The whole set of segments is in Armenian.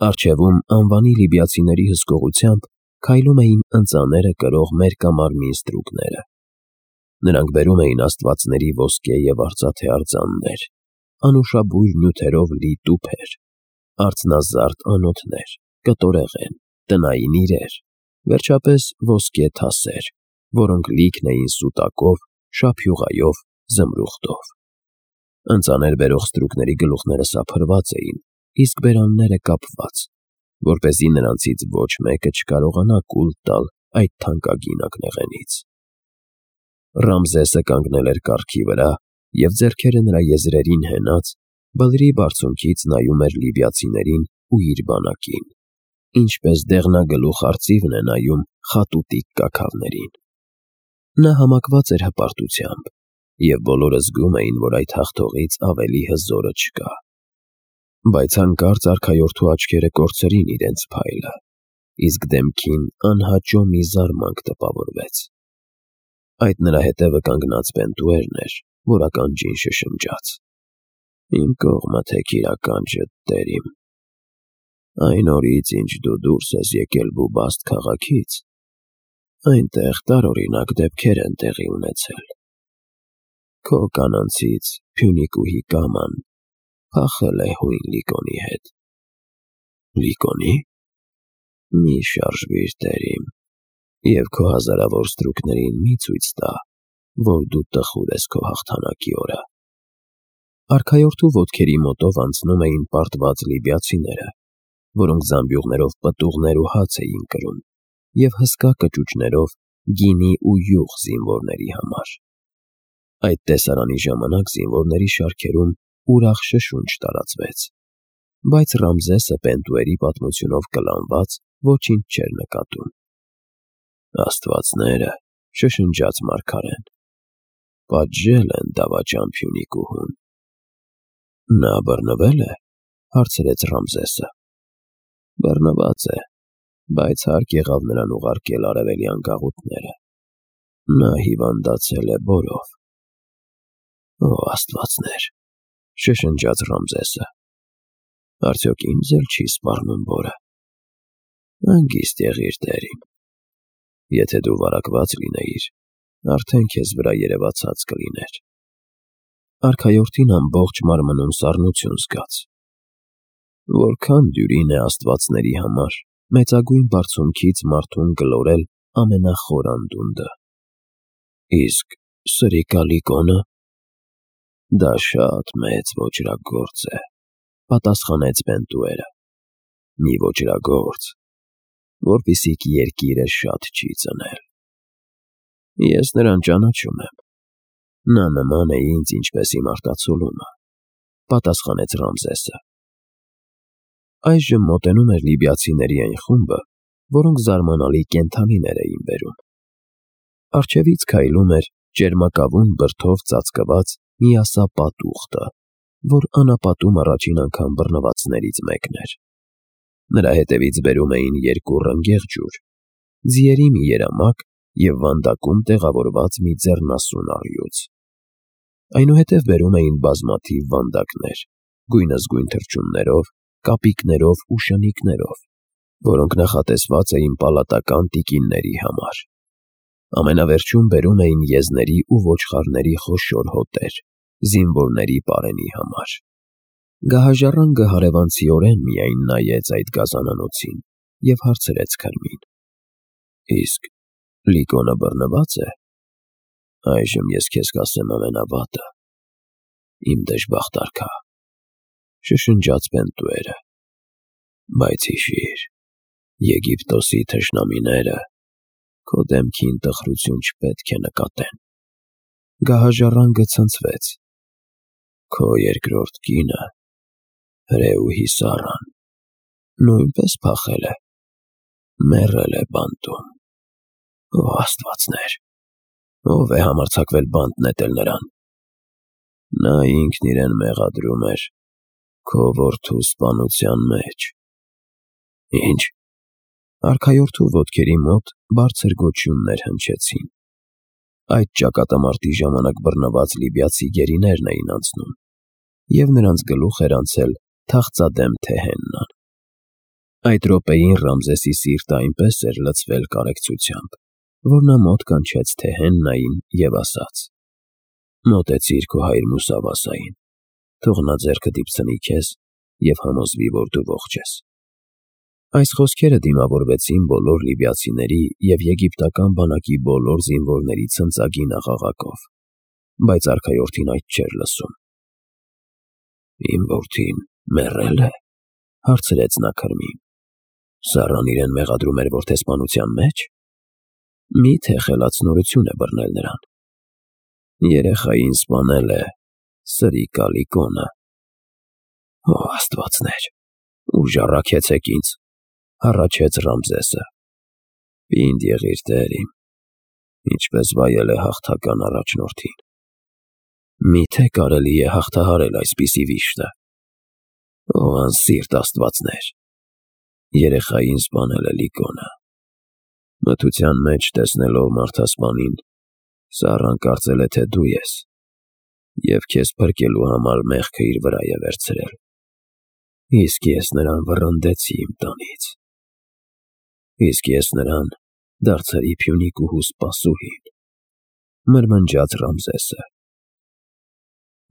Առջևում անվանի լիբիացիների հսկողությամբ քայլում էին ընծաները կրող մերկամարմին ստրուկները։ Նրանք բերում էին աստվածների ոսկե և արծաթե արձաններ, անուշաբույր նյութերով լի տուփեր, արծնազարդ անոթներ, կտորեղեն, տնային իրեր, վերջապես ոսկե թասեր, որոնք լիքն էին սուտակով, շափյուղայով, զմրուխտով։ Ընծաներ բերող ստրուկների գլուխները սափրված էին, իսկ բերանները կապված, որպեսզի նրանցից ոչ մեկը չկարողանա կուլ տալ այդ թանկագին ակնեղենից։ Ռամզեսը կանգնել էր կառքի վրա և ձեռքերը նրա եզրերին հենած, բլրի բարձունքից նայում էր լիբիացիներին ու իր բանակին, ինչպես դեղնագլուխ արծիվն է նայում խատուտիկ կաքավներին։ Նա համակված էր հպարտությամբ, և բոլորը զգում էին, որ այդ հաղթողից ավելի հզորը չկա։ Բայց հանկարծ արքայորդու աչքերը կորցրին իրենց փայլը, իսկ դեմքին անհաճո մի զարմանք տպավորվեց։ Այդ նրա հետևը կանգնած Պենտուերն էր, որ ականջին շշնջաց. «Իմ կողմը թե քիրականջդ, տեր իմ։ Այն օրից, ինչ դու դուրս ես եկել Բուբաստ քաղաքից, այնտեղ տարօրինակ դեպքեր են տեղի ունեցել։ Քո կանանցից Փյունիկուհի Կաման փախել է հույն Լիկոնի հետ»։ «Լիկոնի՞։ Մի շարժվիր, տեր իմ, և քո հազարավոր ստրուկներին մի ցույց տա, որ դու տխուր ես քո հաղթանակի օրը»։ Արքայորդու ոտքերի մոտով անցնում էին պարտված լիբիացիները, որոնք զամբյուղներով պտուղներ ու հաց էին կրում, և հսկա կճուճներով գինի ու յուղ զինվորների համար։ Այդ տեսարանի ժամանակ զինվորների շարքերում ուրախ շշունչ տարածվեց, բայց Ռամզեսը Պենտուերի պատմությունով կլանված ոչինչ չէր նկատում։ «Աստվածները», շշնջաց մարգարեն, «պատժել են դավաճան Փյունիկուհուն»։ «Նա բռնվե՞լ է», հարցրեց Ռամզեսը։ «Բռնված է, բայց հարկ եղավ նրան ուղարկել արևելյան գաղութները։ Նա հիվանդացել է բորով»։ «Օ աստվածներ», շշնջաց Ռամզեսը, «արդյոք ինձ էլ չի սպառնում բորը»։ «Հանգիստ եղիր, տեր իմ։ Եթե դու վարակված լինեիր, արդեն քեզ վրա երևացած կլիներ»։ Արքայորդին ամբողջ մարմնում սառնություն զգաց։ Որքան դյուրին է աստվածների համար մեծագույն բարձունքից մարդուն գլորել ամենախոր անդունդը։ Իսկ սրիկա Լիկոնը։ Դա շատ մեծ ոճրագործ է, պատասխանեց Պենտուերը, մի ոճրագործ, որպիսիք երկիրը շատ չի ծնել։ Ես նրան ճանաչում եմ։ Նա նման է ինձ, ինչպես իմ արտացոլումը, պատասխանեց Ռամզեսը։ Այժմ մոտենում էր լիբիացիների այն խումբը, որոնք զարմանալի կենդանիներ էին բերում։ Առջևից քայլում էր ճերմակավուն բրդով ծածկված միասապատ ուղտը, որ անապատում առաջին անգամ բռնվածներից մեկն էր։ Նրա հետևից բերում էին երկու ռնգեղ ջուր, ձիերի մի երամակ և վանդակում տեղավորված մի ձեռնասուն առյուծ։ Այնուհետև բերում էին բազմաթիվ վանդակներ, գույնզգույն թռչուններով, կապիկներով ու շնիկներով, որոնք նախատեսված էին պալատական տիկինների համար։ Ամենավերջում բերում էին եզների ու ոչխարների խոշոր հոտեր, զինվորների պարենի համար։ Գահաժառանգը հարևանցիորեն միայն նայեց այդ գազանանոցին և հարցրեց քրմին. «Իսկ Լիկոնը բռնվա՞ծ է։ Այժմ ես քեզ կասեմ ամենավատը, իմ դժբախտ արքա», շշնջաց Պենտուերը։ «Բայց հիշիր, Եգիպտոսի թշնամիները քո դեմքին տխրություն չպետք է նկատեն»։ Գահաժառանգը ցնցվեց։ «Քո երկրորդ կինը, Ռեուհի Սառան, նույնպես փախել է, մեռել է բանտում։ Օ աստվածներ, ո՞վ է համարձակվել բանտ նետել նրան։ Նա ինքն իրեն մեղադրում էր քո որդու սպանության մեջ»։ «Ի՞նչ»։ Արքայորդու ոտքերի մոտ բարձր գոչյուններ հնչեցին։ Այդ ճակատամարտի ժամանակ բռնված լիբիացի գերիներն էին անցնում, և նրանց գլուխ էր անցել թախծադեմ Թեհեննան։ Այդ րոպեին Ռամզեսի սիրտը այնպես էր լցվել կարեկցությամբ, որ նա մոտ կանչեց Թեհեննային և ասաց. «Մոտեցիր քո հայր Մուսավասային, թող նա ձեռքը դիպցնի քեզ և համոզվի, որ դու ողջ ես»։ Այս խոսքերը դիմավորվեցին բոլոր լիբիացիների և եգիպտական բանակի բոլոր զինվորների ցնծագին աղաղակով, բայց արքայորդին այդ չէր լսում։ «Իմ որդին մեռե՞լ է», հարցրեց նա քրմին։ «Սառան իրեն մեղադրում էր որդեսպանության մեջ։ Մի՞թե խելացնորություն է բռնել նրան»։ «Երեխային սպանել է սրիկա Լիկոնը»։ «Ո աստվածներ, ուժ առաքեցեք ինձ», հառաչեց Ռամզեսը։ «Պինդ եղիր, տեր իմ, ինչպես վայել է հաղթական առաջնորդին»։ «Մի՞թե կարելի է հաղթահարել այսպիսի վիշտը»։ «Ո անսիրտ աստվածներ, երեխային սպանել է Լիկոնը»։ Մթության մեջ տեսնելով մարդասպանին, Սառան կարծել է, թե դու ես, և քեզ փրկելու համար մեղքը իր վրա է վերցրել։ Իսկ ես նրան վռնդեցի իմ տնից։ Իսկ ես նրան դարձրի Փյունիկուհու սպասուհին», մրմնջաց Ռամզեսը։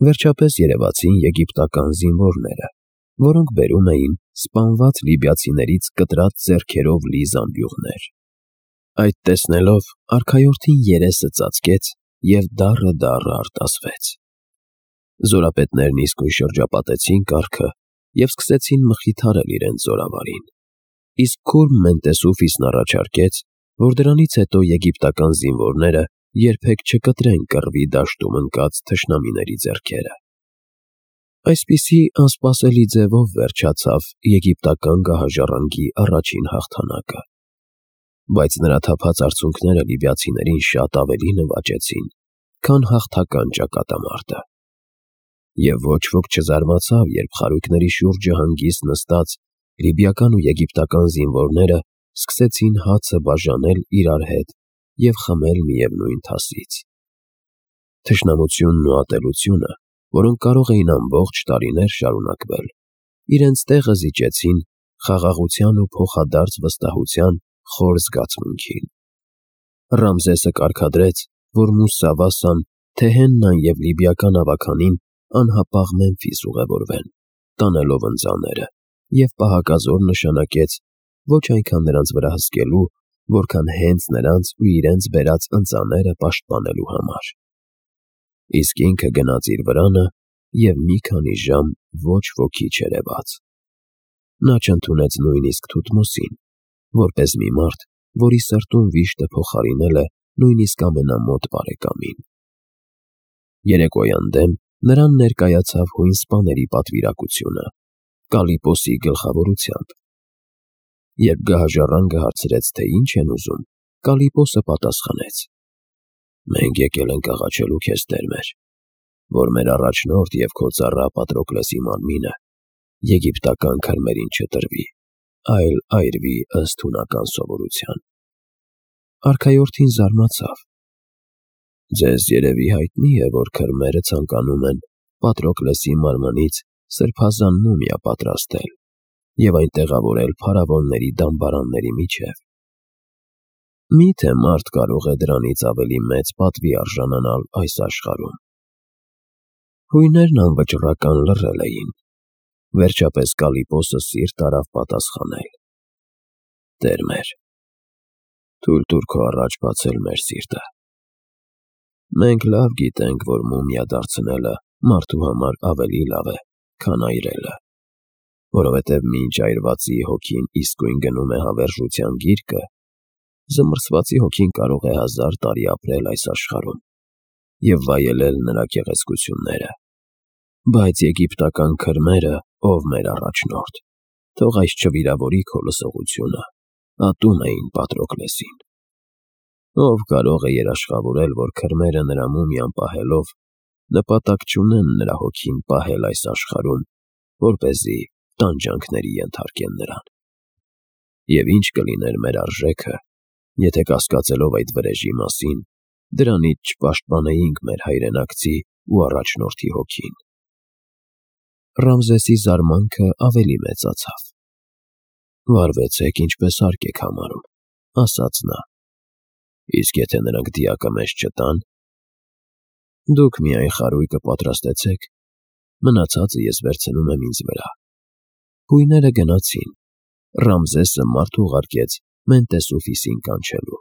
Վերջապես երևացին եգիպտական զինվորները, որոնք բերում էին սպանված լիբիացիներից կտրած ձեռքերով լի զամբյուղներ։ Այդ տեսնելով արքայորդին երեսը ծածկեց և դառը արտասվեց։ Զորապետներն իսկույն շրջապատեցին կառքը և սկսեցին մխիթարել իրենց զորավարին։ Իսկ քուրմ Մենտեսուֆիսն առաջարկեց, որ դրանից հետո եգիպտական զինվորները երբեք չկտրեն կռվի դաշտում ընկած թշնամիների ձեռքերը։ Այսպիսի անսպասելի ձևով վերջացավ եգիպտական գահաժառանգի առաջին հաղթանակը։ Բայց նրա թափած արցունքները լիբիացիներին շատ ավելի նվաճեցին, քան հաղթական ճակատամարտը։ Եվ ոչ ոք չզարմացավ, երբ խարույկների շուրջը հանգիստ նստած լիբիական ու եգիպտական զինվորները սկսեցին հացը բաժանել իրար հետ և խմել միևնույն թասից։ Թշնամությունն ու ատելությունը, որոնք կարող էին ամբողջ տարիներ շարունակվել, իրենց տեղը զիջեցին խաղաղության ու փոխադարձ վստահության խոր զգացմունքին։ Ռամզեսը կարգադրեց, որ Մուսավասան, Թեհեննան և լիբիական ավագանին անհապաղ Մեմֆիս ուղևորվեն, տանելով ընծաները, և պահակազոր նշանակեց ոչ այնքան նրանց վրա հսկելու, որքան հենց նրանց ու իրենց բերած ընծաները պաշտպանելու համար։ Իսկ ինքը գնաց իր վրանը և մի քանի ժամ ոչ ոքի չերևաց։ Նա չընդունեց նույնիսկ Թութմոսին, որպես մի մարդ, որի սրտում վիշտը փոխարինել է նույնիսկ ամենամոտ բարեկամին։ Երեկոյան դեմ նրան ներկայացավ հույն սպաների պատվիրակությունը Կալիպոսի գլխավորությամբ։ Երբ գահաժառանգը հարցրեց, թե ինչ են ուզում, Կալիպոսը պատասխանեց. «Մենք եկել ենք աղաչելու քեզ, տեր մեր, որ մեր առաջնորդ և քո ծառա Պատրոկլեսի մարմինը եգիպտական քրմերին չտրվի, այլ այրվի ըստ հունական սովորության»։ Արքայորդին զարմացավ։ «Ձեզ երևի հայտնի է, որ քրմերը ցանկանում են Պատրոկլեսի մարմնից սրբազան մումիա պատրաստել և այն տեղավորել փարավոնների դամբարանների միջև։ Մի՞թե մարդ կարող է դրանից ավելի մեծ պատվի արժանանալ այս աշխարհում»։ Հույներն անվճռական լռել էին։ Վերջապես Կալիպոսը սիրտ արավ պատասխանել. «Տեր մեր, թույլ տուր քո առաջ բացել մեր սիրտը։ Մենք լավ գիտենք, որ մումիա դարձնելը մարդու համար ավելի լավ է, քան այրելը, որովհետև մինչ այրվածի հոգին իսկույն գնում է հավերժության գիրկը, զմռսվածի հոգին կարող է 1000 տարի ապրել այս աշխարհում և վայելել նրա գեղեցկությունները։ Բայց եգիպտական քրմերը, ով մեր առաջնորդ, թող այս չվիրավորի քո լսողությունը, ատում էին Պատրոկլեսին։ Ով կարող է երաշխավորել, որ քրմերը նրա մումիան պահելով նպատակ չունեն նրա հոգին պահել այս աշխարհում, որպեսզի տանջանքների ենթարկեն նրան։ Եվ ինչ կլիներ մեր արժեքը, եթե կասկածելով այդ վրեժի մասին, դրանից չպաշտպանեինք մեր հայրենակցի ու առաջնորդի հոգին»։ Ռամզեսի զարմանքը ավելի մեծացավ։ Վարվեցեք, ինչպես հարկ եք համարում, ասաց նա։ Իսկ եթե նրանք դիակը մեզ չտան, դուք միայն խարույկը պատրաստեցեք, մնացածը ես վերցնում եմ ինձ վրա։ Հույները գնացին։ Ռամզեսը մարդ ուղարկեց Մենտեսուֆիսին կանչելու։